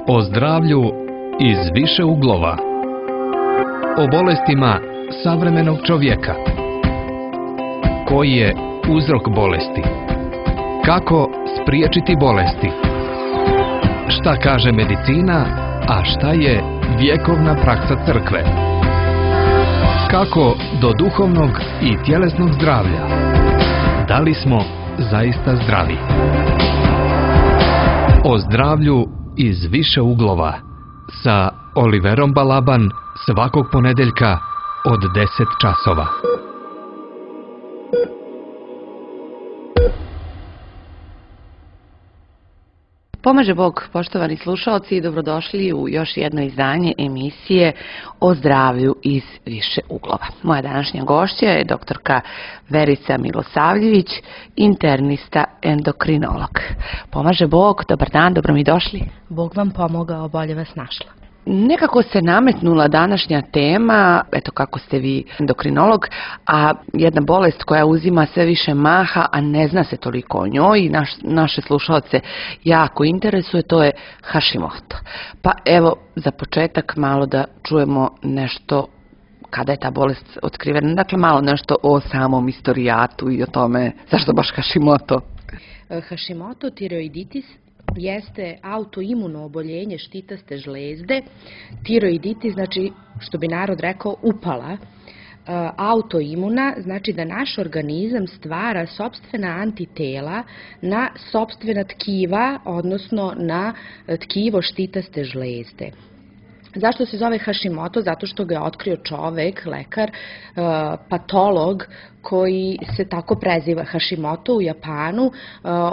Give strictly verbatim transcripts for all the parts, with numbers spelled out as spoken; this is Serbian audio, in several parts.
O zdravlju iz više uglova. O bolestima savremenog čovjeka. Koji je uzrok bolesti? Kako spriječiti bolesti? Šta kaže medicina, a šta je vjekovna praksa crkve? Kako do duhovnog i tjelesnog zdravlja? Da li smo zaista zdravi? O zdravlju iz više uglova sa Oliverom Balaban svakog ponedeljka od deset časova. Pomaže Bog, poštovani slušalci, i dobrodošli u još jedno izdanje emisije o zdravlju iz više uglova. Moja današnja gošća je doktorka Verica Milosavljević, internista endokrinolog. Pomaže Bog, dobar dan, dobro mi došli. Bog vam pomogao, bolje vas našla. Nekako se nametnula današnja tema, eto kako ste vi endokrinolog, a jedna bolest koja uzima sve više maha, a ne zna se toliko o njoj i naš, naše slušalce jako interesuje, to je Hashimoto. Pa evo, za početak malo da čujemo nešto kada je ta bolest otkrivena, dakle malo nešto o samom istorijatu i o tome zašto baš Hashimoto. Hashimoto tiroiditis jeste autoimuno oboljenje štitaste žlezde. Tiroiditis znači, što bi narod rekao, upala. Autoimuna znači da naš organizam stvara sopstvena antitela na sopstvena tkiva, odnosno na tkivo štitaste žlezde. Zašto se zove Hashimoto? Zato što ga je otkrio čovek, lekar, patolog koji se tako preziva, Hashimoto u Japanu.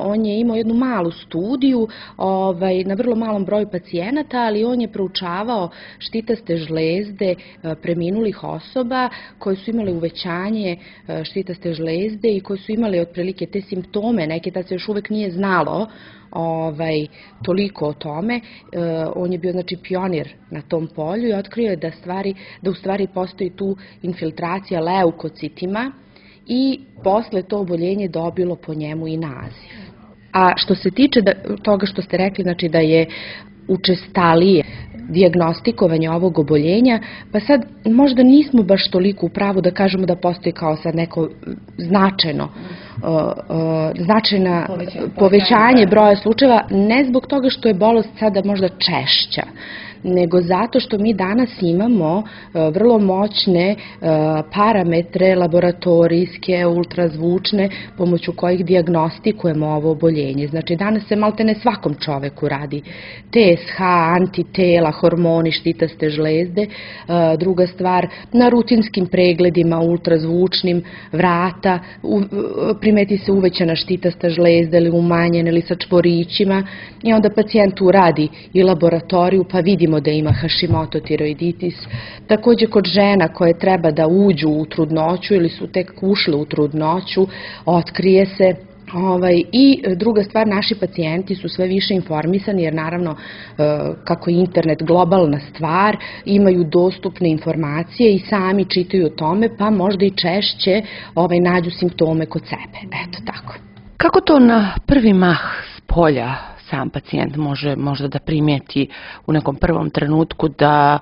On je imao jednu malu studiju ovaj, na vrlo malom broju pacijenata, ali on je proučavao štitaste žlezde preminulih osoba koje su imale uvećanje štitaste žlezde i koje su imale otprilike te simptome, neke da se još uvek nije znalo ovaj, toliko o tome. E, on je bio znači pionir na tom polju i otkrio je da, stvari, da u stvari postoji tu infiltracija leukocitima i posle to oboljenje dobilo po njemu i naziv. A što se tiče da, toga što ste rekli, znači da je učestalije dijagnostikovanje ovog oboljenja, pa sad možda nismo baš toliko u pravu da kažemo da postoji kao sad neko značajno uh, uh, značajna povećanje, povećanje broja slučajeva, ne zbog toga što je bolest sada možda češća, nego zato što mi danas imamo uh, vrlo moćne uh, parametre laboratorijske, ultrazvučne, pomoću kojih dijagnostikujemo ovo oboljenje. Znači danas se maltene svakom čoveku radi T S H, antitela, hormoni štitaste žlezde. Uh, druga stvar, na rutinskim pregledima ultrazvučnim vrata u, primeti se uvećana štitasta žlezda ili umanjena ili sa čvorićima i onda pacijent uradi i laboratoriju pa vidimo da ima Hashimoto tiroiditis. Takođe kod žena koje treba da uđu u trudnoću ili su tek ušle u trudnoću, otkrije se. Ovaj, I druga stvar, naši pacijenti su sve više informisani jer naravno kako je internet globalna stvar, imaju dostupne informacije i sami čitaju o tome pa možda i češće ovaj, nađu simptome kod sebe. Eto tako. Kako to na prvi mah s polja sam pacijent može možda da primijeti u nekom prvom trenutku da,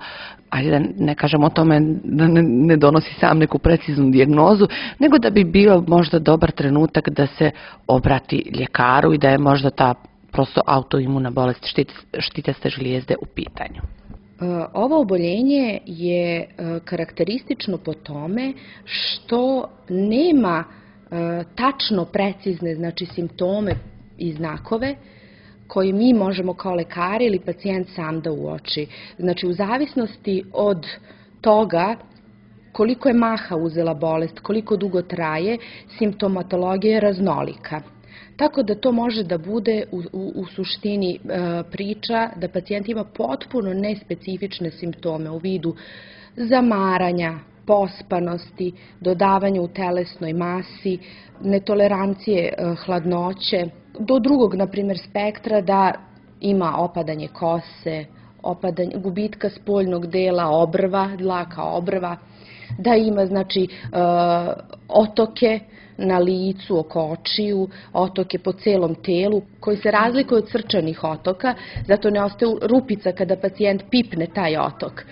ajde da ne kažem o tome da ne, ne donosi sam neku preciznu dijagnozu, nego da bi bio možda dobar trenutak da se obrati ljekaru i da je možda ta prosto autoimuna bolest štitaste žlijezde u pitanju? Ovo oboljenje je karakteristično po tome što nema tačno precizne znači simptome i znakove koje mi možemo kao lekari ili pacijent sam da uoči. Znači, u zavisnosti od toga koliko je maha uzela bolest, koliko dugo traje, simptomatologija je raznolika. Tako da to može da bude u, u, u suštini e, priča da pacijent ima potpuno nespecifične simptome u vidu zamaranja, pospanosti, dodavanja u telesnoj masi, netolerancije e, hladnoće, do drugog, na primjer, spektra da ima opadanje kose, opadanje, gubitka spoljnog dela obrva, dlaka obrva, da ima, znači, e, otoke na licu, oko očiju, otoke po celom telu, koji se razlikuju od srčanih otoka, zato ne ostaje rupica kada pacijent pipne taj otok.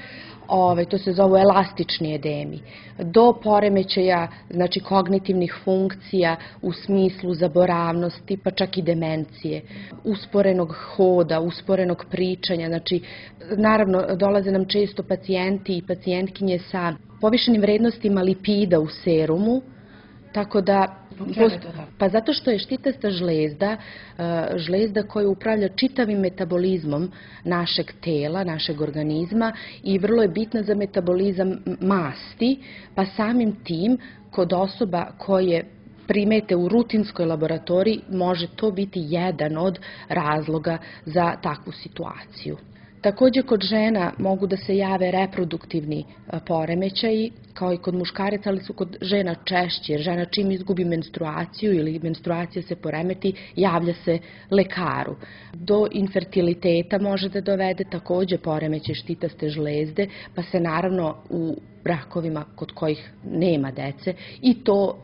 Ove, to se zovu elastični edemi, do poremećaja, znači kognitivnih funkcija u smislu zaboravnosti, pa čak i demencije, usporenog hoda, usporenog pričanja, znači naravno dolaze nam često pacijenti i pacijentkinje sa povišenim vrednostima lipida u serumu, tako da pa zato što je štitasta žlezda, žlezda koja upravlja čitavim metabolizmom našeg tela, našeg organizma i vrlo je bitna za metabolizam masti, pa samim tim kod osoba koje primete u rutinskoj laboratoriji može to biti jedan od razloga za takvu situaciju. Takođe, kod žena mogu da se jave reproduktivni poremećaji, kao i kod muškaraca, ali su kod žena češće, jer žena čim izgubi menstruaciju ili menstruacija se poremeti, javlja se lekaru. Do infertiliteta može da dovede takođe poremećaj štitaste žlezde, pa se naravno u brakovima kod kojih nema dece i to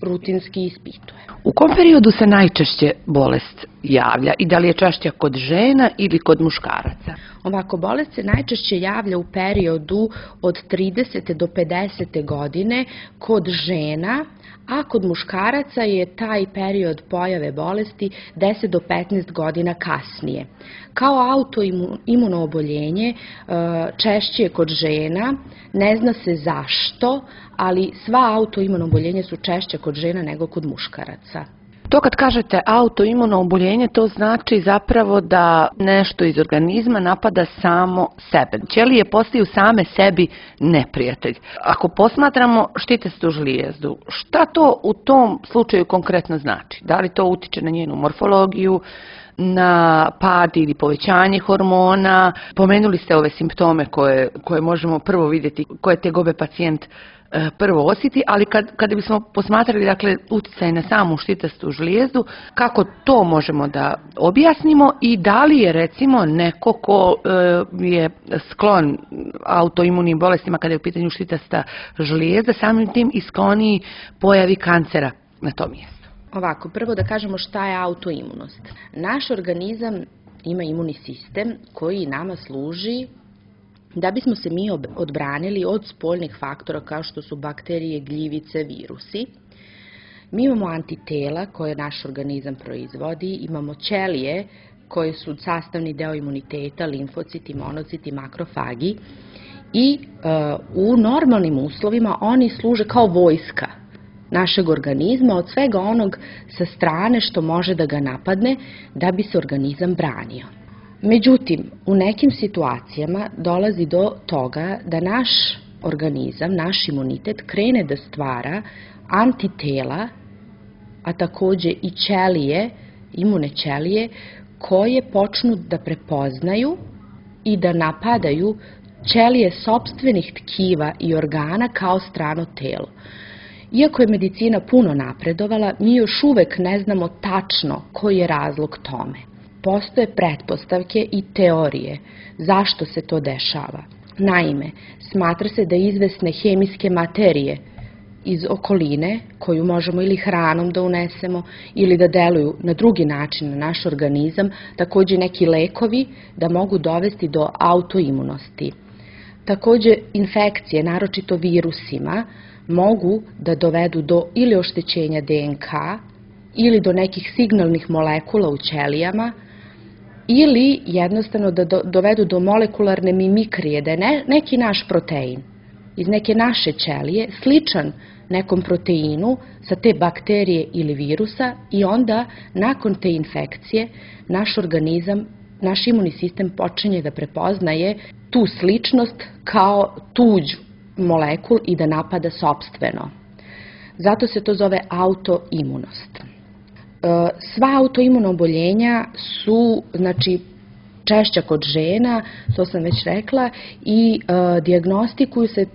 rutinski ispituje. U kom periodu se najčešće bolest javlja i da li je češće kod žena ili kod muškaraca? Ovako, bolest se najčešće javlja u periodu od tridesete do pedesete godine kod žena, a kod muškaraca je taj period pojave bolesti deset do petnaest godina kasnije. Kao autoimuno oboljenje češće je kod žena, ne zna se zašto, ali sva autoimuno oboljenja su češće kod žena nego kod muškaraca. To kad kažete autoimuno oboljenje, to znači zapravo da nešto iz organizma napada samo sebe. Ćelije postaju same sebi neprijatelj. Ako posmatramo štitastu žlijezdu, šta to u tom slučaju konkretno znači? Da li to utiče na njenu morfologiju, na pad ili povećanje hormona? Pomenuli ste ove simptome koje, koje možemo prvo vidjeti, koje tegobe pacijent prvo osjeti, ali kad, kada bismo posmatrali dakle, uticaj na samu štitastu žlijezdu, kako to možemo da objasnimo i da li je recimo neko ko e, je sklon autoimunim bolestima kada je u pitanju štitasta žlijezda, samim tim i skloniji pojavi kancera na tom mjestu? Ovako, prvo da kažemo šta je autoimunost. Naš organizam ima imunni sistem koji nama služi da bismo se mi odbranili od spoljnih faktora kao što su bakterije, gljivice, virusi. Mi imamo antitela koje naš organizam proizvodi, imamo ćelije koje su sastavni deo imuniteta, limfociti, monociti, makrofagi i e, u normalnim uslovima oni služe kao vojska našeg organizma od svega onog sa strane što može da ga napadne da bi se organizam branio. Međutim, u nekim situacijama dolazi do toga da naš organizam, naš imunitet krene da stvara antitela, a takođe i ćelije, imune ćelije, koje počnu da prepoznaju i da napadaju ćelije sopstvenih tkiva i organa kao strano telo. Iako je medicina puno napredovala, mi još uvek ne znamo tačno koji je razlog tome. Postoje pretpostavke i teorije zašto se to dešava. Naime, smatra se da izvesne hemijske materije iz okoline, koju možemo ili hranom da unesemo ili da deluju na drugi način na naš organizam, takođe neki lekovi da mogu dovesti do autoimunosti. Takođe, infekcije, naročito virusima, mogu da dovedu do ili oštećenja de en ka ili do nekih signalnih molekula u ćelijama ili jednostavno da do, dovedu do molekularne mimikrije, da je ne, neki naš protein iz neke naše ćelije sličan nekom proteinu sa te bakterije ili virusa i onda nakon te infekcije naš organizam, naš imunni sistem počinje da prepoznaje tu sličnost kao tuđ molekul i da napada sopstveno. Zato se to zove autoimunost. Sva autoimuna oboljenja su, znači, češća kod žena, to sam već rekla, i e, dijagnostikuju se e,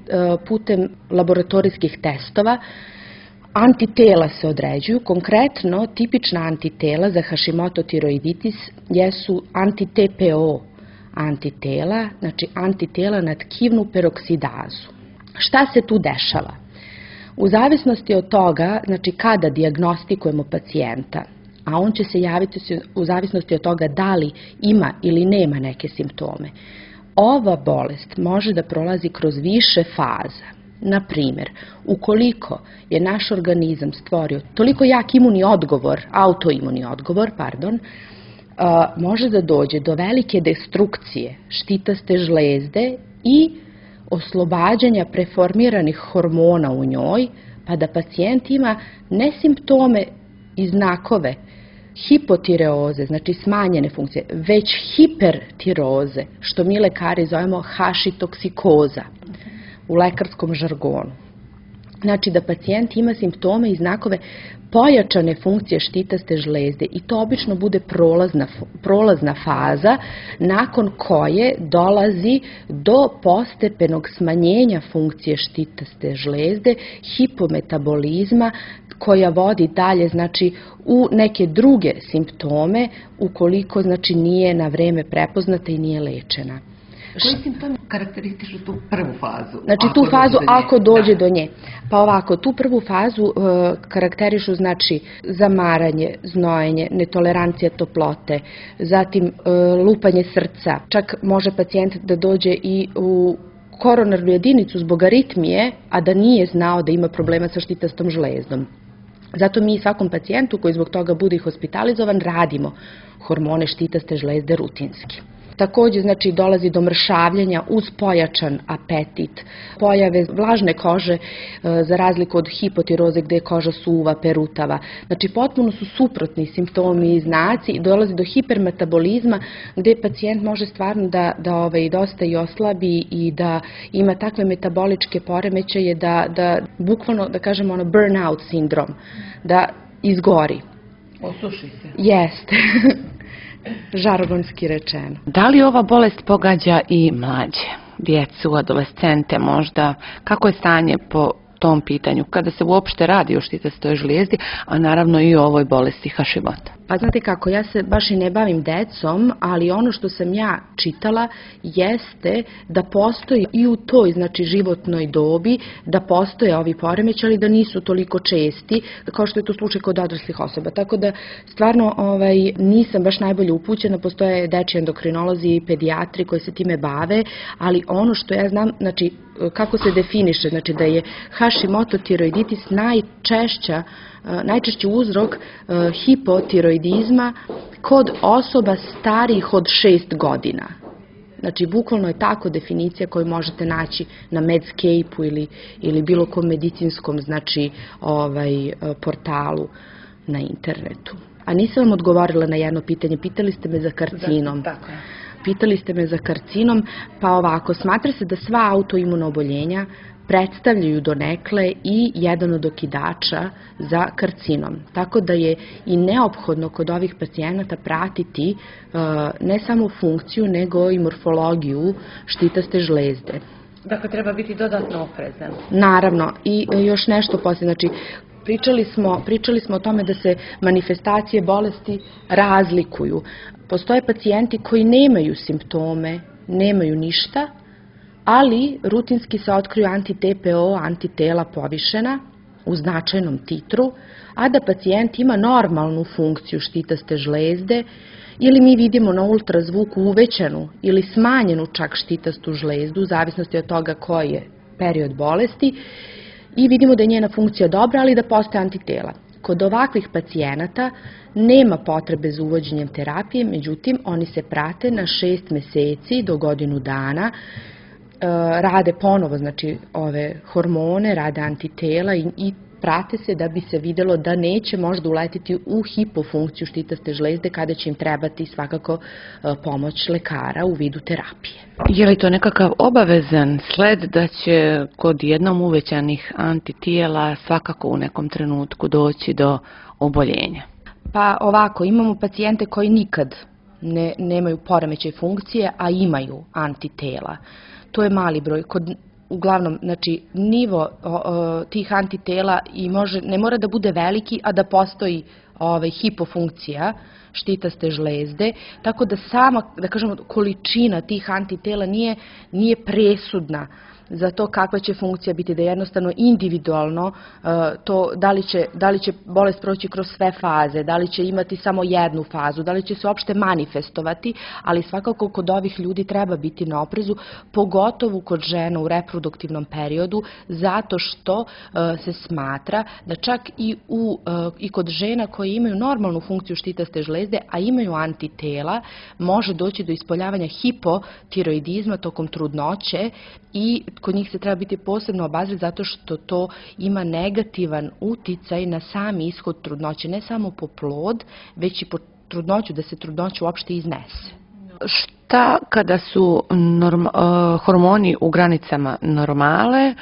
putem laboratorijskih testova. Antitela se određuju, konkretno tipična antitela za Hashimoto tiroiditis jesu anti-te pe o antitela, znači antitela na tkivnu peroksidazu. Šta se tu dešava? U zavisnosti od toga, znači kada dijagnostikujemo pacijenta, a on će se javiti u zavisnosti od toga da li ima ili nema neke simptome, ova bolest može da prolazi kroz više faza. Na primjer, ukoliko je naš organizam stvorio toliko jak imunni odgovor, autoimuni odgovor, pardon, može da dođe do velike destrukcije štitaste žlezde i oslobađanja preformiranih hormona u njoj, pa da pacijent ima ne simptome i znakove hipotireoze, znači smanjene funkcije, već hipertiroze, što mi lekari zovemo hašitoksikoza u lekarskom žargonu. Znači da pacijent ima simptome i znakove pojačane funkcije štitaste žlezde i to obično bude prolazna, prolazna faza nakon koje dolazi do postepenog smanjenja funkcije štitaste žlezde, hipometabolizma koja vodi dalje znači u neke druge simptome ukoliko znači nije na vreme prepoznata i nije lečena. Koji simptomi karakterističu tu prvu fazu? Znači tu fazu ako dođe do nje. Pa ovako, tu prvu fazu uh, karakterišu znači zamaranje, znojenje, netolerancija toplote, zatim uh, lupanje srca. Čak može pacijent da dođe i u koronarnu jedinicu zbog aritmije, a da nije znao da ima problema sa štitastom žlezdom. Zato mi svakom pacijentu koji zbog toga bude hospitalizovan radimo hormone štitaste žlezde rutinski. Takođe, znači, dolazi do mršavljenja uz pojačan apetit, pojave vlažne kože za razliku od hipotiroze gde je koža suva, perutava. Znači, potpuno su suprotni simptomi i znaci i dolazi do hipermetabolizma gde pacijent može stvarno da, da ovaj, dosta i oslabi i da ima takve metaboličke poremećaje da, da bukvalno, da kažemo, ono burnout sindrom, da izgori. Osuši se. Jeste. Žargonski rečeno. Da li ova bolest pogađa i mlađe, djecu, adolescente možda? Kako je stanje po tom pitanju, kada se uopšte radi o štitastoj žlijezdi, a naravno i o ovoj bolesti Hashimota? Pa znate kako, ja se baš i ne bavim decom, ali ono što sam ja čitala jeste da postoji i u toj, znači, životnoj dobi, da postoje ovi poremećaji, ali da nisu toliko česti, kao što je to slučaj kod odraslih osoba. Tako da, stvarno, ovaj, nisam baš najbolje upućena, postoje dečji endokrinolozi i pedijatri koji se time bave, ali ono što ja znam, znači, kako se definiše, znači da je Hashimoto tiroiditis najčešća najčešći uzrok hipotiroidizma kod osoba starijih od šest godina. Znači, bukvalno je tako definicija koju možete naći na Medscape-u ili, ili bilo kom medicinskom, znači, ovaj, portalu na internetu. A nisam vam odgovorila na jedno pitanje, pitali ste me za karcinom. Da, tako je. Pitali ste me za karcinom, pa ovako, smatra se da sva autoimuna oboljenja predstavljaju donekle i jedan od okidača za karcinom. Tako da je i neophodno kod ovih pacijenata pratiti uh, ne samo funkciju, nego i morfologiju štitaste žlezde. Dakle, treba biti dodatno oprezan. Naravno, i još nešto poslije, znači, Pričali smo, pričali smo o tome da se manifestacije bolesti razlikuju. Postoje pacijenti koji nemaju simptome, nemaju ništa, ali rutinski se otkriju anti-T P O, antitela povišena u značajnom titru, a da pacijent ima normalnu funkciju štitaste žlezde ili mi vidimo na ultrazvuku uvećanu ili smanjenu čak štitastu žlezdu, u zavisnosti od toga koji je period bolesti, i vidimo da je njena funkcija dobra, ali da postoje antitela. Kod ovakvih pacijenata nema potrebe za uvođenjem terapije, međutim, oni se prate na šest meseci do godinu dana, rade ponovo, znači, ove hormone, rade antitela i, i prate se da bi se videlo da neće možda uletiti u hipofunkciju štitaste žlezde kada će im trebati svakako pomoć lekara u vidu terapije. Je li to nekakav obavezan sled da će kod jednom uvećanih antitijela svakako u nekom trenutku doći do oboljenja? Pa ovako, imamo pacijente koji nikad ne, nemaju poremećaj funkcije, a imaju antitela. To je mali broj. Kod Uglavnom, znači, nivo o, o, tih antitela i može, ne mora da bude veliki, a da postoji ovaj, hipofunkcija štitaste žlezde, tako da sama, da kažemo, količina tih antitela nije, nije presudna za to kakva će funkcija biti, da jednostavno individualno to da li će, da li će bolest proći kroz sve faze, da li će imati samo jednu fazu, da li će se uopšte manifestovati, ali svakako kod ovih ljudi treba biti na oprezu, pogotovo kod žena u reproduktivnom periodu, zato što se smatra da čak i, u, i kod žena koje imaju normalnu funkciju štitaste žlezde, a imaju antitela, može doći do ispoljavanja hipotiroidizma tokom trudnoće i kod njih se treba biti posebno obazriv zato što to ima negativan uticaj na sami ishod trudnoće, ne samo po plod, već i po trudnoću, da se trudnoća uopšte iznese. Šta kada su norma, uh, hormoni u granicama normale,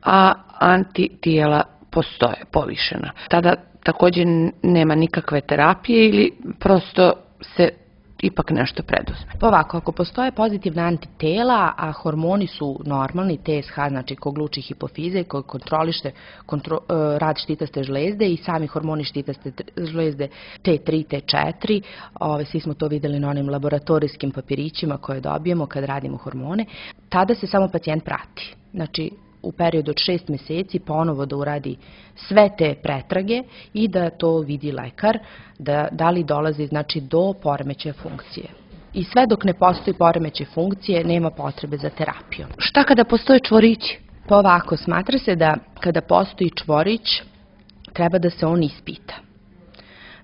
a antitijela postoje, povišena? Tada također nema nikakve terapije ili prosto se ipak nešto preduzme? Pa ovako, ako postoje pozitivna antitela, a hormoni su normalni, T S H, znači ko gluči hipofize, koji kontroliše kontro, rad štitaste žlezde i sami hormoni štitaste žlezde T tri, T četiri, ove, svi smo to videli na onim laboratorijskim papirićima koje dobijemo kad radimo hormone, tada se samo pacijent prati. Znači, u periodu od šest meseci ponovo da uradi sve te pretrage i da to vidi lekar, da, da li dolazi znači, do poremećaja funkcije. I sve dok ne postoji poremećaj funkcije, nema potrebe za terapijom. Šta kada postoje čvorići? Pa ovako, smatra se da kada postoji čvorić, treba da se on ispita.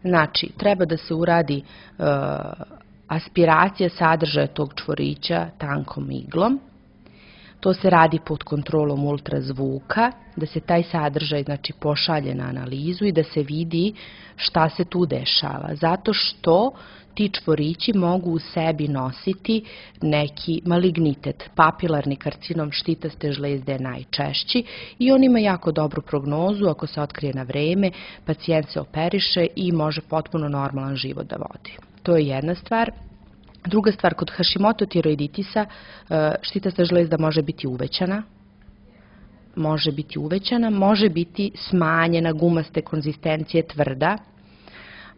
Znači, treba da se uradi uh, aspiracija sadržaja tog čvorića tankom iglom. To se radi pod kontrolom ultrazvuka, da se taj sadržaj znači, pošalje na analizu i da se vidi šta se tu dešava. Zato što ti čvorići mogu u sebi nositi neki malignitet. Papilarni karcinom štitaste žlezde je najčešći i on ima jako dobru prognozu. Ako se otkrije na vreme, pacijent se operiše i može potpuno normalan život da vodi. To je jedna stvar. Druga stvar, kod Hashimoto tiroiditisa štitasta žlezda može biti uvećana, može biti uvećana, može biti smanjena, gumaste konzistencije, tvrda,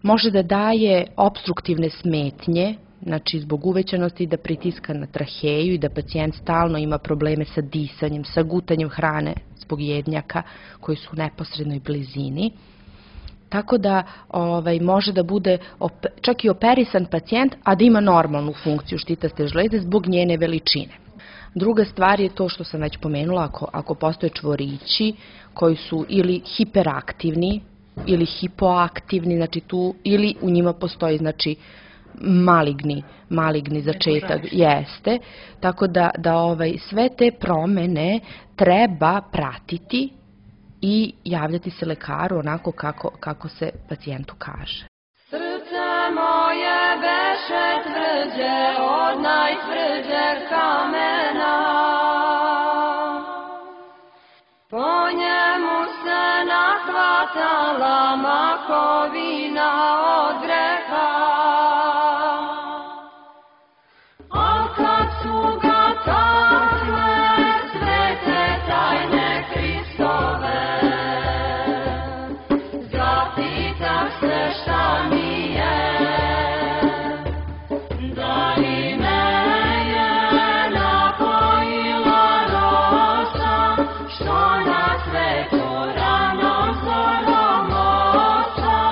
može da daje obstruktivne smetnje, znači zbog uvećanosti da pritiska na traheju i da pacijent stalno ima probleme sa disanjem, sa gutanjem hrane zbog jednjaka koji su u neposrednoj blizini. Tako da ovaj, može da bude op, čak i operisan pacijent, a da ima normalnu funkciju štitaste žlezde zbog njene veličine. Druga stvar je to što sam već pomenula, ako, ako postoje čvorići koji su ili hiperaktivni ili hipoaktivni, znači tu, ili u njima postoji znači, maligni, maligni začetak, jeste. Tako da, da ovaj, sve te promene treba pratiti i javljati se lekaru onako kako, kako se pacijentu kaže. Srce moje beše tvrđe od najtvrđeg kamena, po njemu se nahvatala makovina od greha. A kad su ga takle svete tajne Hristove, šta mi je, da li me je napojila rosa, što na svetu rano zorom oca.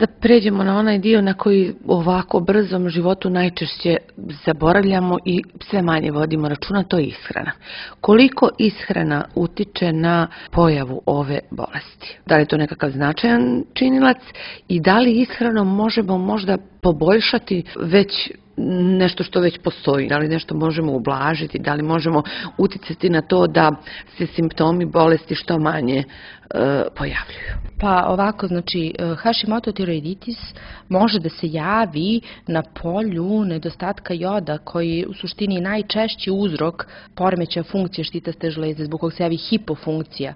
Da pređemo na onaj dio na koji u ovako brzom životu najčešće zaboravljamo i sve manje vodimo računa, to je ishrana. Koliko ishrana utiče na pojavu ove bolesti? Da li je to nekakav značajan činilac i da li ishranom možemo možda poboljšati već nešto što već postoji, da li nešto možemo ublažiti, da li možemo uticati na to da se simptomi bolesti što manje e, pojavljuju? Pa ovako, znači Hashimoto tiroiditis može da se javi na polju nedostatka joda koji je u suštini najčešći uzrok poremećaja funkcije štitaste žlezde, zbog kog se javi hipofunkcija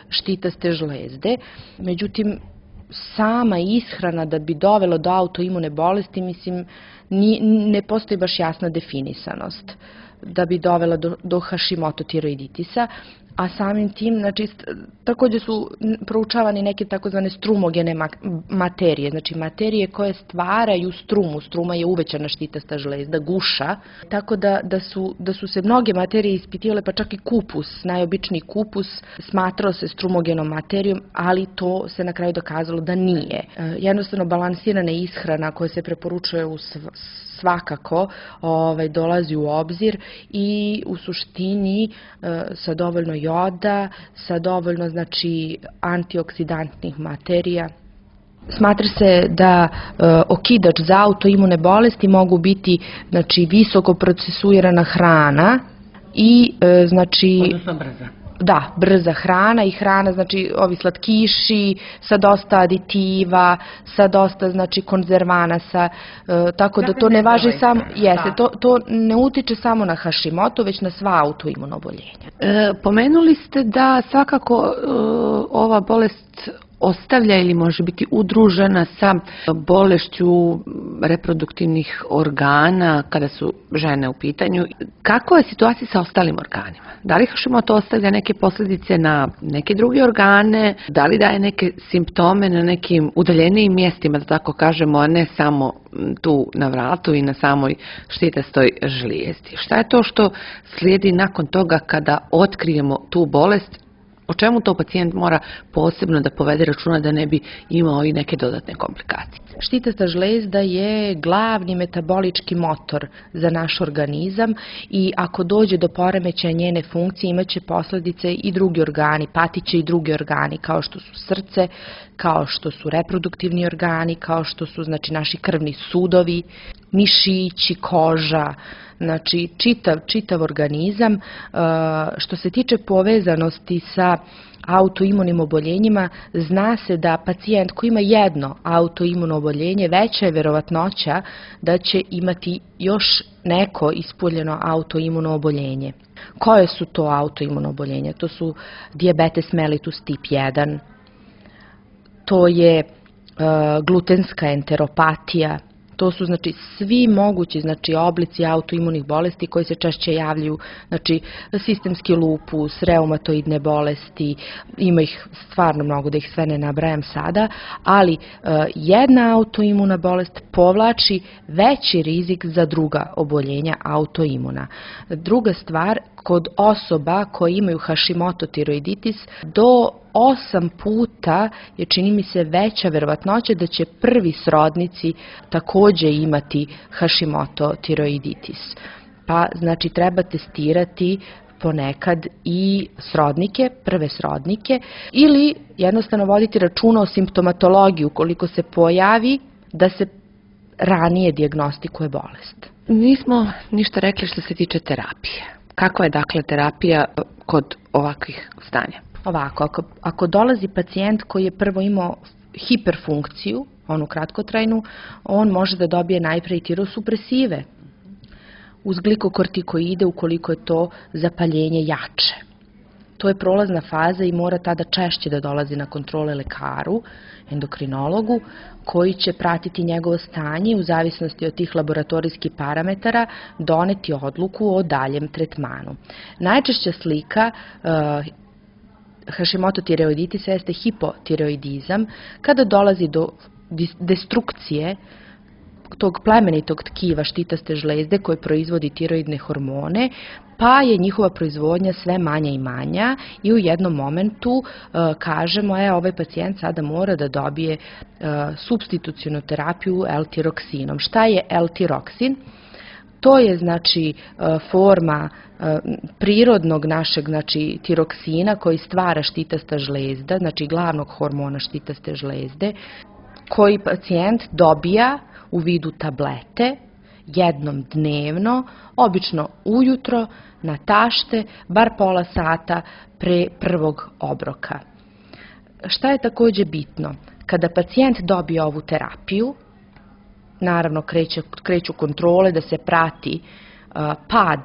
štitaste žlezde. Međutim, sama ishrana da bi dovelo do autoimune bolesti, mislim, ni, ne postoji baš jasna definisanost da bi dovela do, do Hashimoto tiroiditisa, a samim tim, znači, takođe su proučavani neke takozvane strumogene materije, znači materije koje stvaraju strumu. Struma je uvećana štitasta žlezda, guša, tako da, da, su, da su se mnoge materije ispitivale, pa čak i kupus, najobičniji kupus, smatrao se strumogenom materijom, ali to se na kraju dokazalo da nije. Jednostavno, balansirana ishrana koja se preporučuje u svakako ovaj, dolazi u obzir i u suštini e, sa dovoljno joda, sa dovoljno, znači, antioksidantnih materija. Smatra se da e, okidač za autoimune bolesti mogu biti, znači, visoko procesuirana hrana i e, znači... Odnosno brza. Da, brza hrana i hrana, znači ovi slatkiši sa dosta aditiva, sa dosta, znači, konzervanasa, e, tako da to ne važi samo, jeste, to, to ne utiče samo na Hashimoto, već na sva autoimuno oboljenja. E, pomenuli ste da svakako e, ova bolest ostavlja ili može biti udružena sa bolešću reproduktivnih organa kada su žene u pitanju. Kako je situacija sa ostalim organima? Da li Hashimoto ostavlja neke posljedice na neke druge organe? Da li daje neke simptome na nekim udaljenijim mjestima, da tako kažemo, a ne samo tu na vratu i na samoj štitastoj žlijezdi? Šta je to što slijedi nakon toga kada otkrijemo tu bolest? O čemu to pacijent mora posebno da povede računa da ne bi imao i neke dodatne komplikacije? Štitasta žlezda je glavni metabolički motor za naš organizam i ako dođe do poremećaja njene funkcije imaće posljedice i drugi organi, patiće i drugi organi kao što su srce, kao što su reproduktivni organi, kao što su, znači, naši krvni sudovi, mišići, koža, znači čitav, čitav organizam. Što se tiče povezanosti sa autoimunim oboljenjima, zna se da pacijent koji ima jedno autoimuno oboljenje, veća je verovatnoća da će imati još neko ispoljeno autoimuno oboljenje. Koje su to autoimuno oboljenja? To su dijabetes mellitus tip jedan, to je uh, glutenska enteropatija, to su, znači, svi mogući, znači, oblici autoimunih bolesti koji se češće javljaju, znači, sistemski lupus, reumatoidne bolesti, ima ih stvarno mnogo, da ih sve ne nabrajam sada, ali uh, jedna autoimuna bolest povlači veći rizik za druga oboljenja autoimuna. Druga stvar, kod osoba koje imaju Hashimoto tiroiditis, do osam puta je, čini mi se, veća verovatnoća da će prvi srodnici takođe imati Hashimoto tiroiditis. Pa, znači, treba testirati ponekad i srodnike, prve srodnike, ili jednostavno voditi računa o simptomatologiji ukoliko se pojavi, da se ranije dijagnostikuje bolest. Nismo ništa rekli što se tiče terapije. Kakva je, dakle, terapija kod ovakvih stanja? Ovako, ako, ako dolazi pacijent koji je prvo imao hiperfunkciju, onu kratkotrajnu, on može da dobije najpre i tirosupresive uz glikokortikoide ukoliko je to zapaljenje jače. To je prolazna faza i mora tada češće da dolazi na kontrole lekaru, endokrinologu, koji će pratiti njegovo stanje i u zavisnosti od tih laboratorijskih parametara doneti odluku o daljem tretmanu. Najčešća slika uh, Hashimoto tiroiditisa jeste hipotiroidizam, kada dolazi do destrukcije tog plemenitog tkiva štitaste žlezde koje proizvodi tiroidne hormone pa je njihova proizvodnja sve manja i manja i u jednom momentu e, kažemo, e, ovaj pacijent sada mora da dobije e, supstitucionu terapiju L-tiroksinom. Šta je L-tiroksin? To je znači forma prirodnog našeg znači tiroksina koji stvara štitasta žlezda, znači glavnog hormona štitaste žlezde, koji pacijent dobija u vidu tablete jednom dnevno, obično ujutro na tašte, bar pola sata pre prvog obroka. Šta je takođe bitno? Kada pacijent dobije ovu terapiju, naravno kreće, kreću kontrole da se prati uh, pad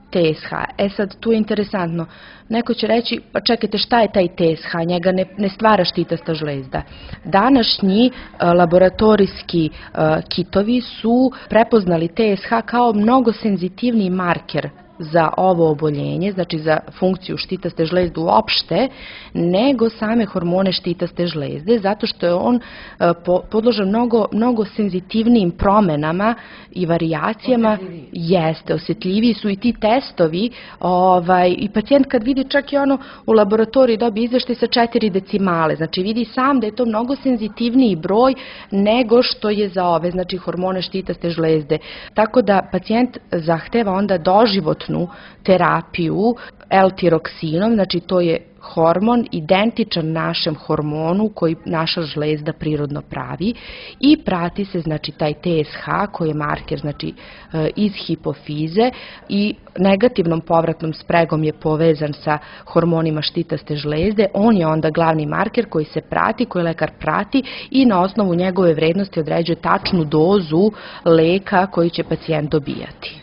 T S H. E sad, tu je interesantno. Neko će reći, pa čekajte, šta je taj T S H? Njega ne, ne stvara štitasta žlezda. Današnji uh, laboratorijski uh, kitovi su prepoznali T S H kao mnogo senzitivniji marker za ovo oboljenje, znači za funkciju štitaste žlezde uopšte, nego same hormone štitaste žlezde, zato što je on podložen mnogo, mnogo senzitivnijim promenama i varijacijama. Osjetljiviji. Jeste, osjetljiviji su i ti testovi, ovaj, i pacijent kad vidi čak i ono u laboratoriji dobije izveštaj sa četiri decimale, znači vidi sam da je to mnogo senzitivniji broj nego što je za ove, znači hormone štitaste žlezde. Tako da pacijent zahteva onda doživotno terapiju L-tiroksinom, znači to je hormon identičan našem hormonu koji naša žlezda prirodno pravi i prati se znači taj T S H koji je marker znači iz hipofize i negativnom povratnom spregom je povezan sa hormonima štitaste žlezde. On je onda glavni marker koji se prati, koji lekar prati i na osnovu njegove vrednosti određuje tačnu dozu leka koji će pacijent dobijati.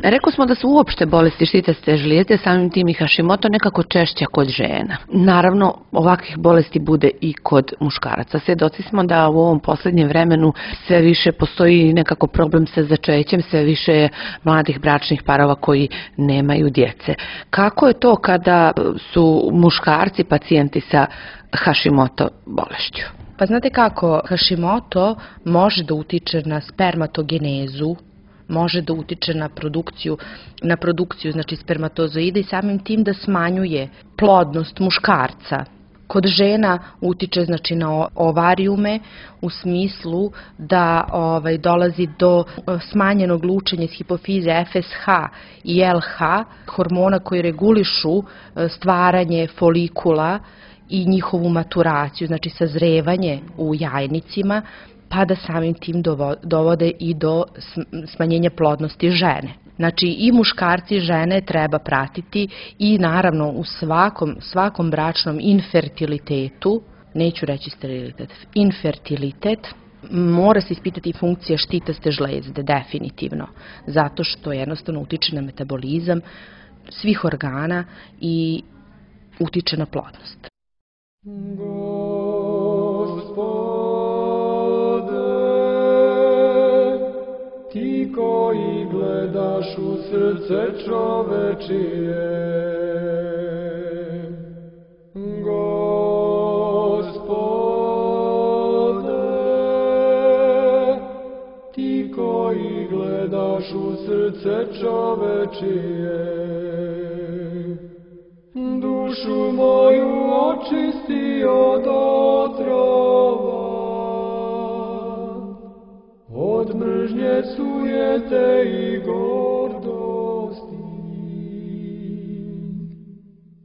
Rekli smo da su uopšte bolesti štitaste žlijezde, samim tim i Hashimoto, nekako češća kod žena. Naravno, ovakvih bolesti bude i kod muškaraca. Svedoci smo da u ovom poslednjem vremenu sve više postoji nekako problem sa začećem, sve više mladih bračnih parova koji nemaju djece. Kako je to kada su muškarci pacijenti sa Hashimoto bolešću? Pa znate kako, Hashimoto može da utiče na spermatogenezu, može da utiče na produkciju, na produkciju znači spermatozoida i samim tim da smanjuje plodnost muškarca. Kod žena utiče znači na ovarijume u smislu da ovaj, dolazi do smanjenog lučenja iz hipofize F S H i L H, hormona koji regulišu stvaranje folikula i njihovu maturaciju, znači sazrevanje u jajnicima, pa da samim tim dovode i do smanjenja plodnosti žene. Znači i muškarci i žene treba pratiti i naravno u svakom, svakom bračnom infertilitetu, neću reći sterilitet, infertilitet, mora se ispitati funkcija štitaste žlezde, definitivno, zato što jednostavno utiče na metabolizam svih organa i utiče na plodnost. Ti koji gledaš u srce čovečije, Gospode, ti koji gledaš u srce čovečije, dušu moju očisti od otrova, od mržnje, sujete i gordosti,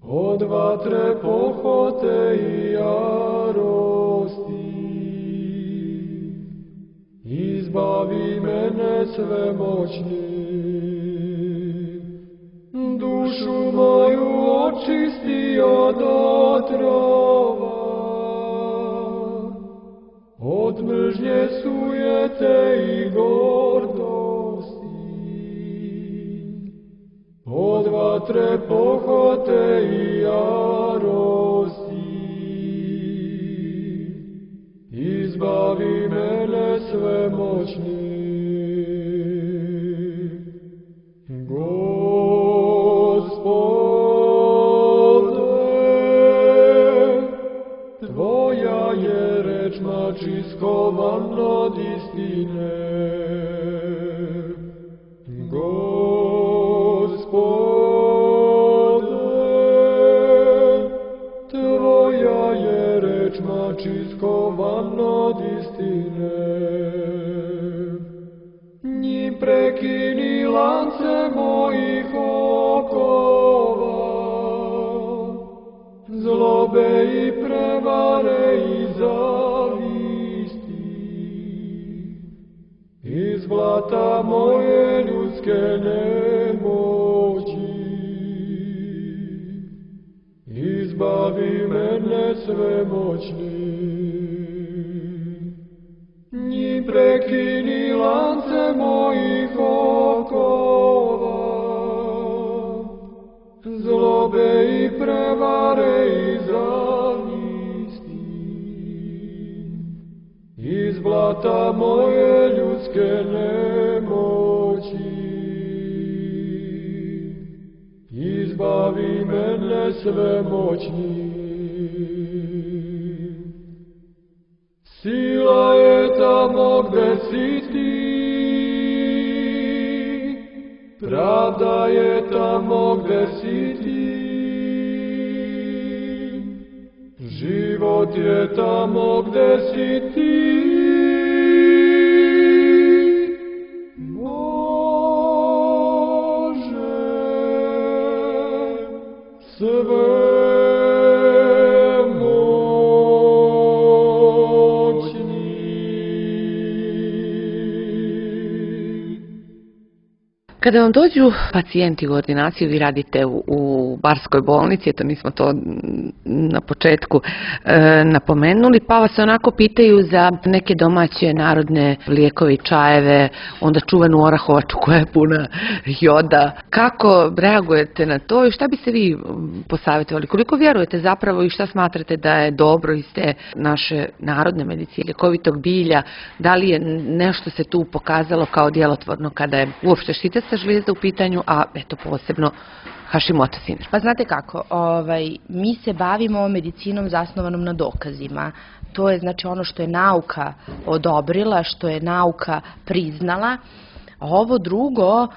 od vatre, pohote i jarosti. Izbavi mene svemoćni, dušu moju očisti od otrova, od mržnje, sujete i gordosti, od vatre, pohote i jarosti. Izbavi mene svemoćni, Tvoja je reč mači skovan od istine. Gospode, prekini lance mojih okova, zlobe i prevare i zavisti, iz blata moje ljudske nemoći, izbavi mene svemoćni. Njim prekini lance mojih okova, zlobe i prevare i zavisti, iz blata moje ljudske nemoći, izbavi mene svemoćni. Sila je tamo gde si ti, pravda je tamo gde si ti, život je tamo gde si ti. Bože, sve Kada vam dođu pacijenti u ordinaciju, vi radite u, u barskoj bolnici, eto nismo to na početku e, napomenuli, pa vas onako pitaju za neke domaće narodne lijekove i čajeve, onda čuvenu orahovaču koja je puna joda. Kako reagujete na to i šta bi se vi posavjetovali? Koliko vjerujete zapravo i šta smatrate da je dobro iz te naše narodne medicine, ljekovitog bilja? Da li je nešto se tu pokazalo kao djelotvorno kada je uopšte štitasta žlijezda u pitanju, a eto posebno Hashimoto sindrom? Pa znate kako, ovaj, mi se bavimo medicinom zasnovanom na dokazima. To je znači ono što je nauka odobrila, što je nauka priznala. A ovo drugo, uh,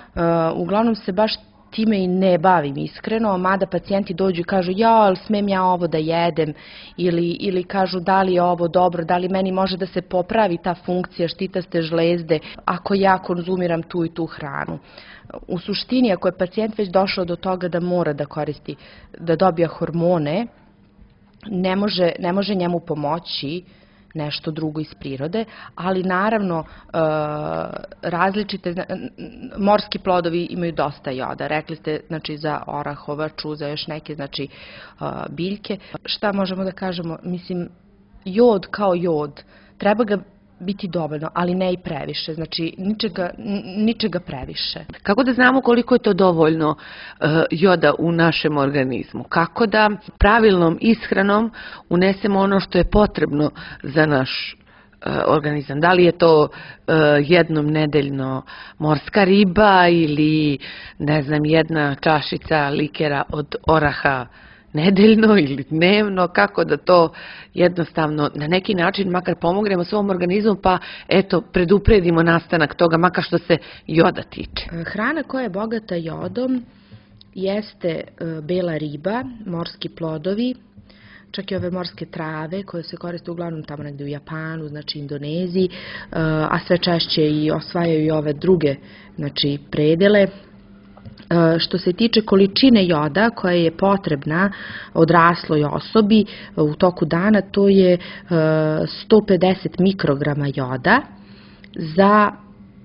uglavnom se baš time i ne bavim iskreno, mada pacijenti dođu i kažu ja, ali smem ja ovo da jedem, ili, ili kažu da li je ovo dobro, da li meni može da se popravi ta funkcija štitaste žlezde ako ja konzumiram tu i tu hranu. U suštini, ako je pacijent već došao do toga da mora da koristi, da dobija hormone, ne može, ne može njemu pomoći nešto drugo iz prirode, ali naravno različite, morski plodovi imaju dosta joda. Rekli ste znači za orahovaču, za još neke znači biljke. Šta možemo da kažemo? Mislim, jod kao jod, treba ga biti dovoljno, ali ne i previše, znači ničega, ničega previše. Kako da znamo koliko je to dovoljno uh, joda u našem organizmu? Kako da pravilnom ishranom unesemo ono što je potrebno za naš uh, organizam? Da li je to uh, jednom nedeljno morska riba ili ne znam jedna čašica likera od oraha nedeljno ili dnevno, kako da to jednostavno na neki način makar pomognemo svom organizmu, pa eto predupredimo nastanak toga, makar što se joda tiče. Hrana koja je bogata jodom jeste bela riba, morski plodovi, čak i ove morske trave koje se koriste uglavnom tamo negde u Japanu, znači Indoneziji, a sve češće i osvajaju i ove druge znači predele. Što se tiče količine joda koja je potrebna odrasloj osobi u toku dana, to je sto pedeset mikrograma joda za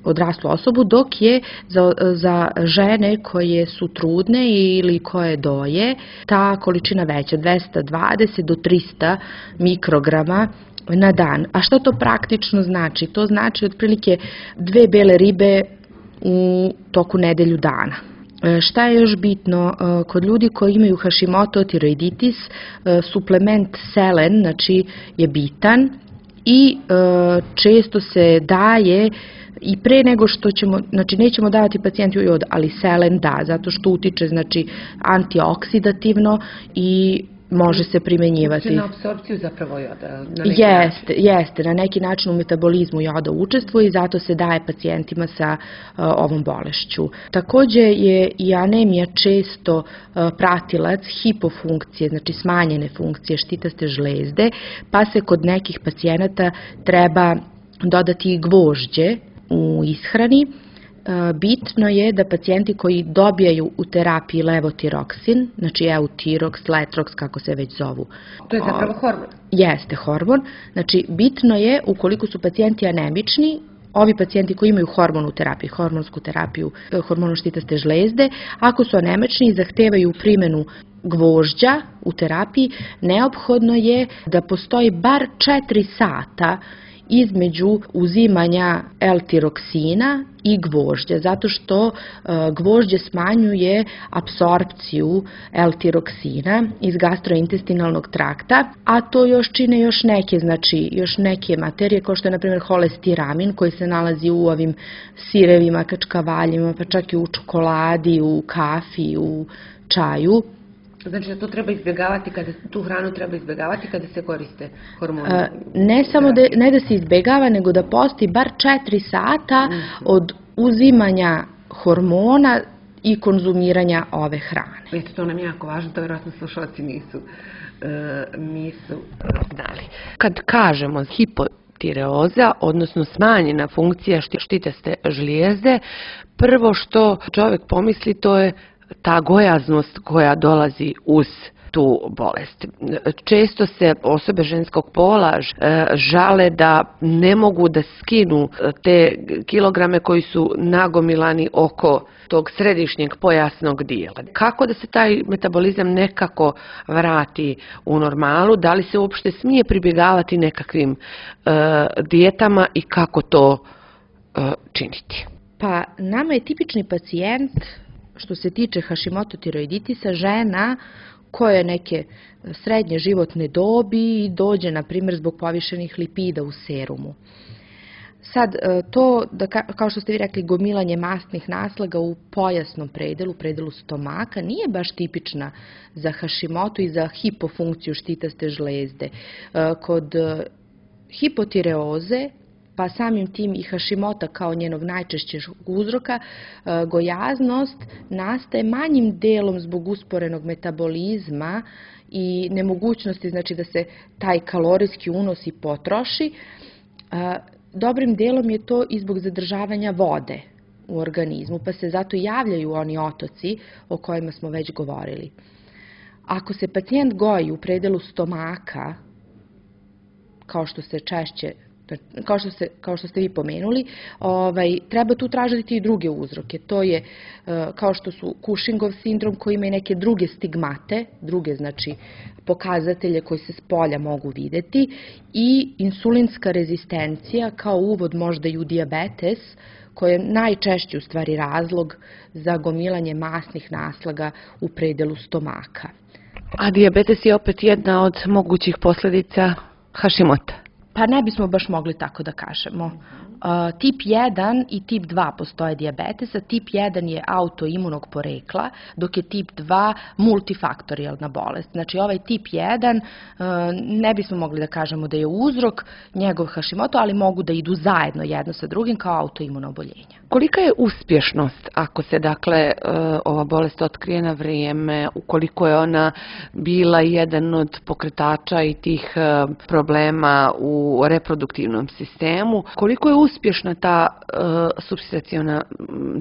odraslu osobu, dok je za, za žene koje su trudne ili koje doje ta količina veća, dvesta dvadeset do trista mikrograma na dan. A što to praktično znači? To znači otprilike dve bele ribe u toku nedelju dana. Šta je još bitno? Kod ljudi koji imaju Hashimoto tiroiditis, suplement selen znači, je bitan i često se daje i pre nego što ćemo, znači nećemo davati pacijentu jod, ali selen da, zato što utiče znači antioksidativno i može se primenjivati. Na apsorpciju zapravo joda. Jeste, jeste, na neki način u metabolizmu joda učestvuje i zato se daje pacijentima sa uh, ovom bolešću. Takođe je i anemija često uh, pratilac hipofunkcije, znači smanjene funkcije štitaste žlezde, pa se kod nekih pacijenata treba dodati i gvožđe u ishrani bitno je da pacijenti koji dobijaju u terapiji levotiroksin, znači eutirox, letrox, kako se već zovu. To je zapravo hormon. Jeste hormon. Znači, bitno je, ukoliko su pacijenti anemični, ovi pacijenti koji imaju hormonu terapiju, hormonsku terapiju, hormonu štitaste žlezde, ako su anemični i zahtevaju primjenu gvožđa u terapiji, neophodno je da postoji bar četiri sata između uzimanja L-tiroksina i gvožđa, zato što gvožđe smanjuje apsorpciju L-tiroksina iz gastrointestinalnog trakta, a to još čine još neke, znači još neke materije, kao što je na primjer holestiramin koji se nalazi u ovim sirevima, kačkavaljima, pa čak i u čokoladi, u kafi, u čaju. Znači da to treba izbjegavati, kada, tu hranu treba izbjegavati kada se koriste hormoni? A, ne samo da, ne da se izbjegava, nego da postoji bar četiri sata od uzimanja hormona i konzumiranja ove hrane. Eto, to nam je jako važno, to vjerojatno slušalci nisu, e, nisu znali. Kad kažemo hipotireoza, odnosno smanjena funkcija štitaste žlijezde, prvo što čovjek pomisli to je ta gojaznost koja dolazi uz tu bolest. Često se osobe ženskog pola žale da ne mogu da skinu te kilograme koji su nagomilani oko tog središnjeg pojasnog dijela. Kako da se taj metabolizam nekako vrati u normalu? Da li se uopšte smije pribjegavati nekakvim uh, dijetama i kako to uh, činiti? Pa nama je tipični pacijent, što se tiče Hashimoto tiroiditisa, žena koja je neke srednje životne dobi i dođe, na primjer, zbog povišenih lipida u serumu. Sad, to, da, kao što ste vi rekli, gomilanje mastnih naslaga u pojasnom predelu, predelu stomaka, nije baš tipična za Hashimoto i za hipofunkciju štitaste žlezde. Kod hipotireoze, pa samim tim i Hashimota kao njenog najčešćeg uzroka, gojaznost nastaje manjim delom zbog usporenog metabolizma i nemogućnosti, znači, da se taj kalorijski unos i potroši. Dobrim delom je to i zbog zadržavanja vode u organizmu, pa se zato javljaju oni otoci o kojima smo već govorili. Ako se pacijent goji u predelu stomaka, kao što se češće Kao što, se, kao što ste vi pomenuli, ovaj, treba tu tražiti i druge uzroke. To je kao što su Cushingov sindrom koji ima i neke druge stigmate, druge znači pokazatelje koji se s polja mogu videti, i insulinska rezistencija kao uvod možda i u dijabetes, koji je najčešći u stvari razlog za gomilanje masnih naslaga u predelu stomaka. A dijabetes je opet jedna od mogućih posljedica Hashimota? Pa ne bismo baš mogli tako da kažemo. Uh, tip jedan i tip dva postoje dijabetesa. Tip jedan je autoimunog porekla, dok je tip dva multifaktorijalna bolest. Znači ovaj tip jedan uh, ne bismo mogli da kažemo da je uzrok njegov Hashimoto, ali mogu da idu zajedno jedno sa drugim kao autoimuno oboljenje. Kolika je uspješnost ako se dakle ova bolest otkrije na vrijeme, ukoliko je ona bila jedan od pokretača i tih problema u reproduktivnom sistemu, koliko je uspješna ta uh, supstituciona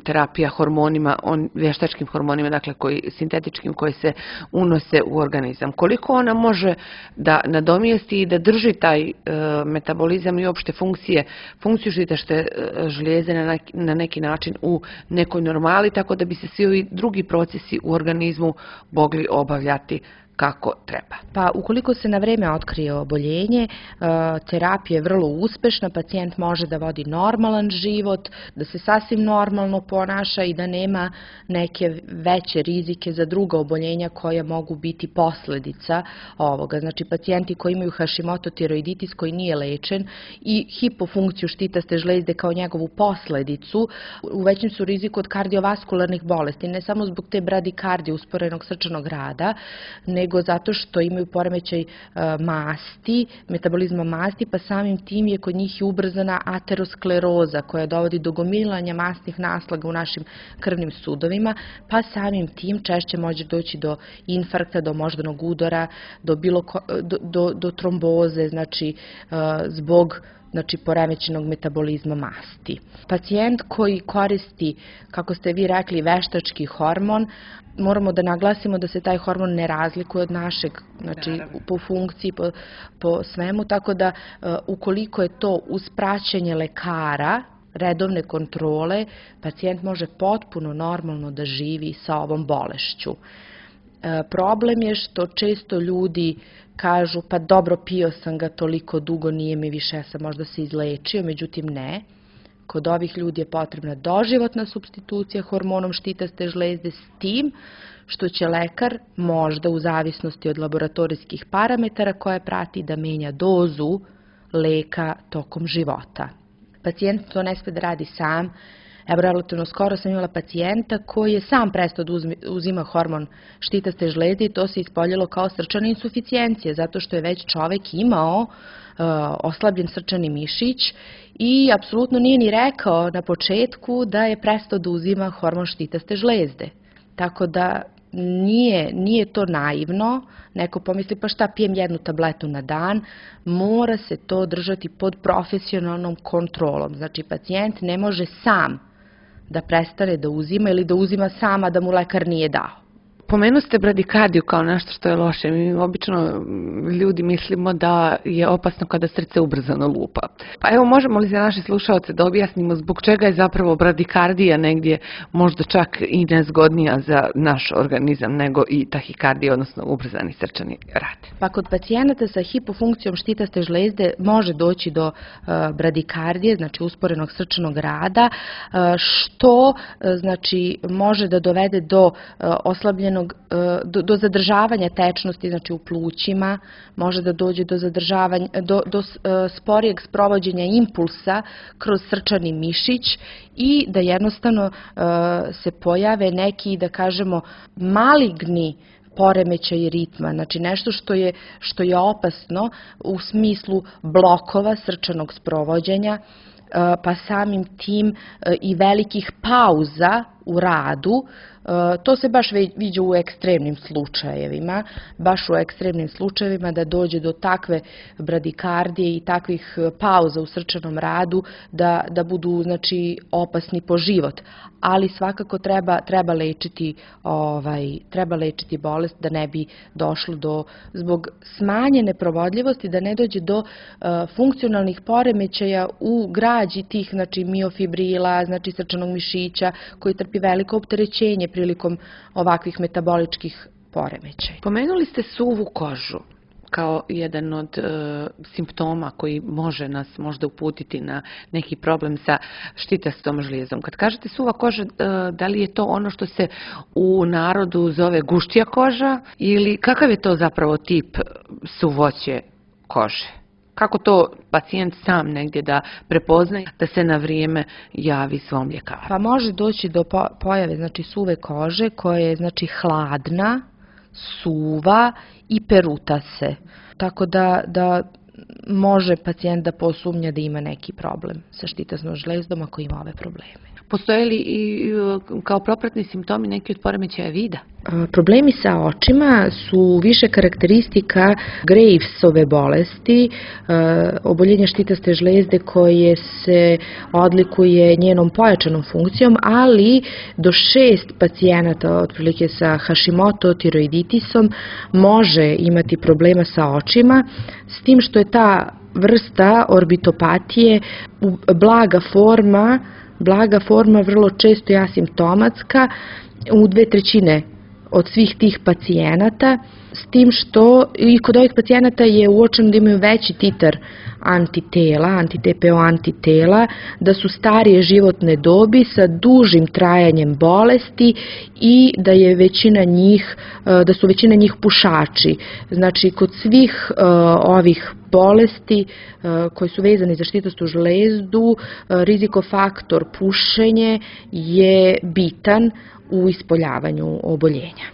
terapija hormonima, on, vještačkim hormonima, dakle koji, sintetičkim, koji se unose u organizam, koliko ona može da nadomjesti i da drži taj uh, metabolizam i opšte funkcije, funkciju štitaste žlijezde na neki, na neki način u nekoj normali, tako da bi se svi ovi drugi procesi u organizmu mogli obavljati kako treba. Pa ukoliko se na vreme otkrije oboljenje, terapija je vrlo uspešna, pacijent može da vodi normalan život, da se sasvim normalno ponaša i da nema neke veće rizike za druga oboljenja koja mogu biti posljedica ovoga. Znači pacijenti koji imaju Hashimoto tiroiditis koji nije lečen i hipofunkciju štitaste žlezde kao njegovu posljedicu, u većem su riziku od kardiovaskularnih bolesti, ne samo zbog te bradikardije, usporenog srčanog rada, nego zato što imaju poremećaj masti, metabolizma masti, pa samim tim je kod njih i ubrzana ateroskleroza koja dovodi do gomilanja masnih naslaga u našim krvnim sudovima, pa samim tim češće može doći do infarkta, do moždanog udara, do, bilo ko, do, do, do tromboze, znači zbog znači poremećenog metabolizma masti. Pacijent koji koristi, kako ste vi rekli, veštački hormon, moramo da naglasimo da se taj hormon ne razlikuje od našeg, znači po funkciji, po, po svemu, tako da ukoliko je to uz praćenje lekara, redovne kontrole, pacijent može potpuno normalno da živi sa ovom bolešću. E, problem je što često ljudi kažu, pa dobro, pio sam ga toliko dugo, nije mi više, ja sam možda se izlečio, međutim ne. Kod ovih ljudi je potrebna doživotna supstitucija hormonom štitaste žlezde s tim što će lekar možda u zavisnosti od laboratorijskih parametara koje prati da menja dozu leka tokom života. Pacijent to ne sme da radi sam. Evo, relativno skoro sam imala pacijenta koji je sam prestao da uzima hormon štitaste žlezde i to se ispoljilo kao srčana insuficijencija, zato što je već čovek imao uh, oslabljen srčani mišić i apsolutno nije ni rekao na početku da je prestao da uzima hormon štitaste žlezde. Tako da Nije, nije to naivno, neko pomisli pa šta, pijem jednu tabletu na dan, mora se to držati pod profesionalnom kontrolom. Znači pacijent ne može sam da prestane da uzima ili da uzima sama da mu lekar nije dao. Pomenu ste bradikardiju kao nešto što je loše. Mi obično ljudi mislimo da je opasno kada srce ubrzano lupa. Pa evo, možemo li za naše slušaoce da objasnimo zbog čega je zapravo bradikardija negdje možda čak i nezgodnija za naš organizam nego i tahikardija, odnosno ubrzani srčani rad? Pa kod pacijenata sa hipofunkcijom štitaste žlezde može doći do uh, bradikardije, znači usporenog srčanog rada, uh, što uh, znači može da dovede do uh, oslabljenog Do, do zadržavanja tečnosti, znači u plućima, može da dođe do zadržavanja, do, do sporijeg sprovođenja impulsa kroz srčani mišić i da jednostavno se pojave neki, da kažemo, maligni poremećaj ritma, znači nešto što je, što je opasno u smislu blokova srčanog sprovođenja, pa samim tim i velikih pauza u radu. To se baš viđa u ekstremnim slučajevima, baš u ekstremnim slučajevima da dođe do takve bradikardije i takvih pauza u srčanom radu da, da budu, znači, opasni po život. Ali svakako treba, treba, lečiti, ovaj, treba lečiti bolest da ne bi došlo do, zbog smanjene provodljivosti, da ne dođe do uh, funkcionalnih poremećaja u građi tih, znači, miofibrila, znači srčanog mišića koji trpi veliko opterećenje prilikom ovakvih metaboličkih poremećaja. Pomenuli ste suvu kožu kao jedan od e, simptoma koji može nas možda uputiti na neki problem sa štitastom žlijezom. Kad kažete suva koža, e, da li je to ono što se u narodu zove guštija koža ili kakav je to zapravo tip suvoće kože? Kako to pacijent sam negdje da prepoznaje da se na vrijeme javi svom ljekaru? Pa može doći do pojave, znači, suve kože koja je, znači, hladna, suva i peruta se. Tako da, da može pacijent da posumnja da ima neki problem sa štitasnom žlezdom ako ima ove probleme. Postoje li i kao propratni simptomi neki od poremećaja vida? Problemi sa očima su više karakteristika Gravesove bolesti, oboljenja štitaste žlezde koje se odlikuje njenom pojačanom funkcijom, ali do šest pacijenata otprilike sa Hashimoto tiroiditisom može imati problema sa očima, s tim što je ta vrsta orbitopatije blaga forma, blaga forma vrlo često je asimptomatska u dve trećine od svih tih pacijenata, s tim što i kod ovih pacijenata je uočeno da imaju veći titar antitela, anti-T P O antitela, da su starije životne dobi sa dužim trajanjem bolesti i da je većina njih, da su većina njih pušači. Znači, kod svih uh, ovih bolesti uh, koji su vezani za štitastu žlezdu, uh, rizikofaktor pušenje je bitan u ispoljavanju oboljenja.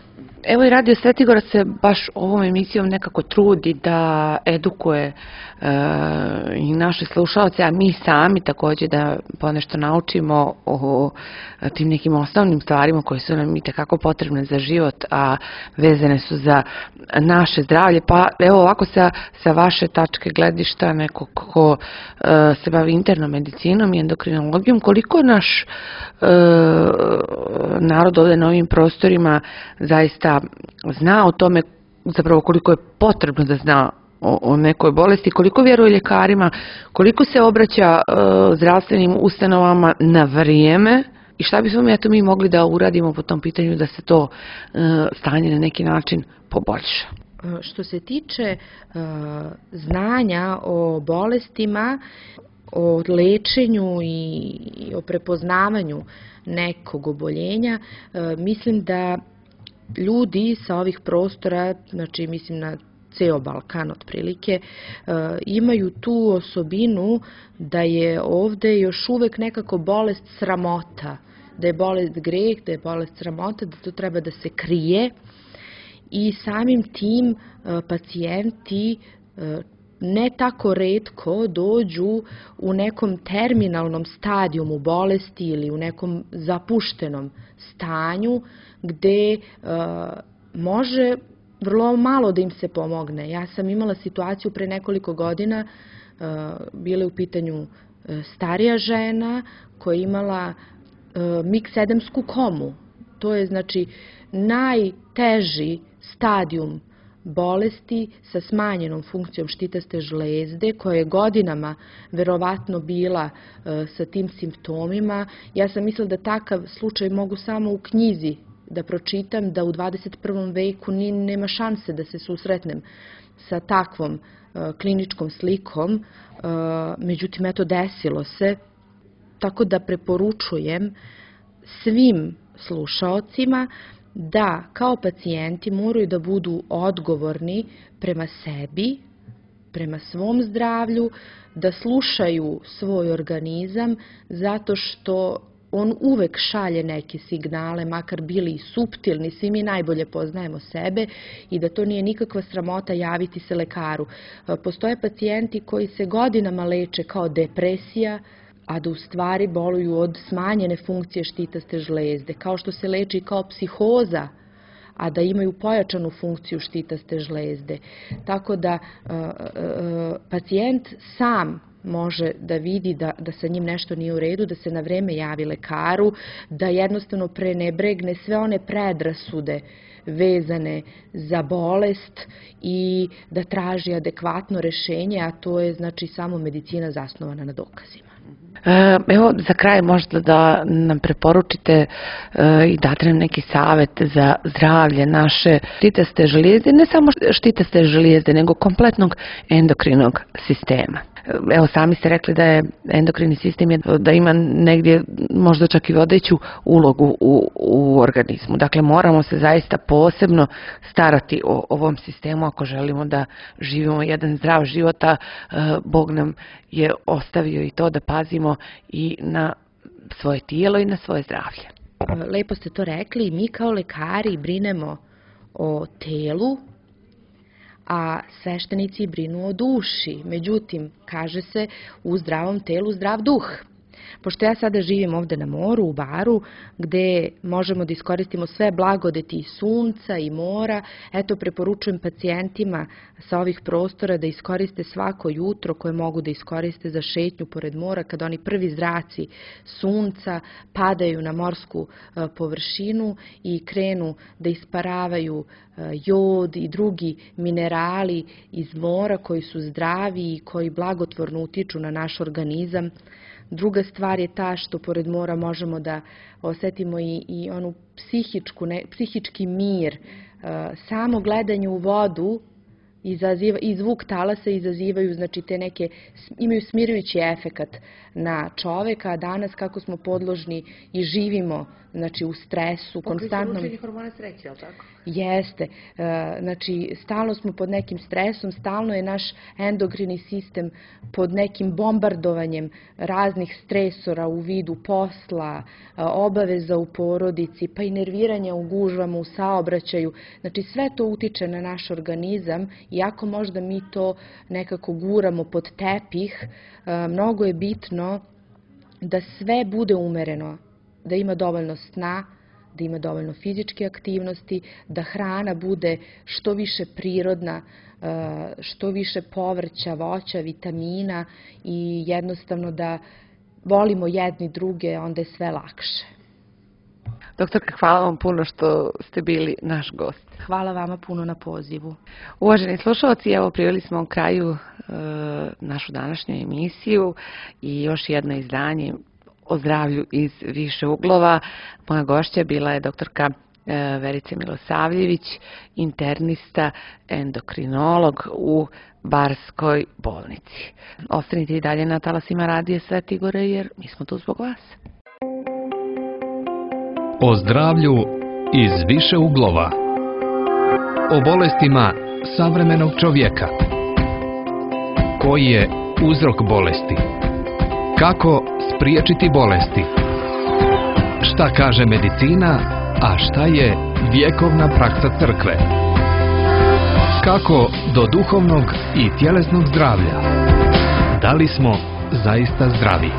Evo i Radio Svetigora se baš ovom emisijom nekako trudi da edukuje e, i naše slušalce, a mi sami također da ponešto naučimo o tim nekim osnovnim stvarima koje su nam i tekako potrebne za život, a vezane su za naše zdravlje. Pa evo ovako sa, sa vaše tačke gledišta, neko ko e, se bavi internom medicinom i endokrinologijom, koliko naš e, narod ovdje na ovim prostorima zaista zna o tome, zapravo koliko je potrebno da zna o, o nekoj bolesti, koliko vjeruje ljekarima, koliko se obraća e, zdravstvenim ustanovama na vrijeme i šta bismo mi, eto, mi mogli da uradimo po tom pitanju da se to e, stanje na neki način poboljša. Što se tiče e, znanja o bolestima, o lečenju i, i o prepoznavanju nekog oboljenja, e, mislim da ljudi sa ovih prostora, znači mislim na ceo Balkan otprilike, imaju tu osobinu da je ovde još uvek nekako bolest sramota, da je bolest greh, da je bolest sramota, da to treba da se krije i samim tim pacijenti ne tako retko dođu u nekom terminalnom stadijumu bolesti ili u nekom zapuštenom stanju gde uh, može vrlo malo da im se pomogne. Ja sam imala situaciju pre nekoliko godina, uh, bila je u pitanju uh, starija žena koja je imala uh, miksedemsku komu. To je znači najteži stadijum bolesti sa smanjenom funkcijom štitaste žlezde, koja je godinama verovatno bila e, sa tim simptomima. Ja sam mislila da takav slučaj mogu samo u knjizi da pročitam, da u dvadeset prvom veku ni, nema šanse da se susretnem sa takvom e, kliničkom slikom. E, međutim, eto, desilo se. Tako da preporučujem svim slušaocima da kao pacijenti moraju da budu odgovorni prema sebi, prema svom zdravlju, da slušaju svoj organizam zato što on uvek šalje neke signale, makar bili i suptilni, svi mi najbolje poznajemo sebe i da to nije nikakva sramota javiti se lekaru. Postoje pacijenti koji se godinama leče kao depresija, a da u stvari boluju od smanjene funkcije štitaste žlezde, kao što se leči kao psihoza, a da imaju pojačanu funkciju štitaste žlezde. Tako da uh, uh, pacijent sam može da vidi da, da sa njim nešto nije u redu, da se na vreme javi lekaru, da jednostavno prenebregne sve one predrasude vezane za bolest i da traži adekvatno rešenje, a to je znači samo medicina zasnovana na dokazima. Evo, za kraj možda da nam preporučite i date nam neki savjet za zdravlje naše štitaste žlijezde, ne samo štitaste žlijezde, nego kompletnog endokrinog sistema. Evo, sami ste rekli da je endokrini sistem je, da ima negdje možda čak i vodeću ulogu u, u organizmu. Dakle, moramo se zaista posebno starati o ovom sistemu ako želimo da živimo jedan zdrav život, a Bog nam je ostavio i to da pazimo i na svoje tijelo i na svoje zdravlje. Lepo ste to rekli, mi kao lekari brinemo o telu, a sveštenici brinu o duši. Međutim, kaže se, u zdravom telu zdrav duh. Pošto ja sada živim ovde na moru, u Baru, gde možemo da iskoristimo sve blagodeti i sunca i mora, eto, preporučujem pacijentima sa ovih prostora da iskoriste svako jutro koje mogu da iskoriste za šetnju pored mora, kada oni prvi zraci sunca padaju na morsku površinu i krenu da isparavaju jod i drugi minerali iz mora koji su zdravi i koji blagotvorno utiču na naš organizam. Druga stvar je ta što pored mora možemo da osetimo i, i onu psihičku, ne, psihički mir. Samo gledanje u vodu izaziva, i zvuk talasa izazivaju, znači te neke, imaju smirujući efekat na čoveka, a danas kako smo podložni i živimo, znači u stresu, konstantnom... hormona sreće, je li tako? Jeste, e, znači stalno smo pod nekim stresom, stalno je naš endokrini sistem pod nekim bombardovanjem raznih stresora u vidu posla, e, obaveza u porodici, pa i nerviranja u gužvama, u saobraćaju. Znači sve to utiče na naš organizam, iako možda mi to nekako guramo pod tepih, e, mnogo je bitno da sve bude umereno, da ima dovoljno sna, da ima dovoljno fizičke aktivnosti, da hrana bude što više prirodna, što više povrća, voća, vitamina i jednostavno da volimo jedni druge, onda je sve lakše. Doktorka, hvala vam puno što ste bili naš gost. Hvala vama puno na pozivu. Uvaženi slušalci, evo priveli smo u kraju e, našu današnju emisiju i još jedno izdanje o zdravlju iz više uglova. Moja gošća bila je doktorka Verica Milosavljević, internista, endokrinolog u Barskoj bolnici. Ostanite i dalje na talasima Radija Sveti Igore jer mi smo tu zbog vas. O zdravlju iz više uglova. O bolestima savremenog čovjeka. Koji je uzrok bolesti? Kako spriječiti bolesti? Šta kaže medicina, a šta je vjekovna praksa crkve? Kako do duhovnog i tjelesnog zdravlja? Da li smo zaista zdravi?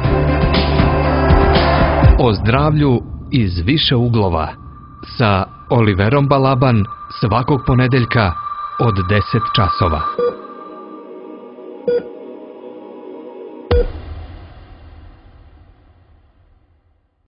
O zdravlju iz više uglova sa Oliverom Balaban svakog ponedeljka od deset časova.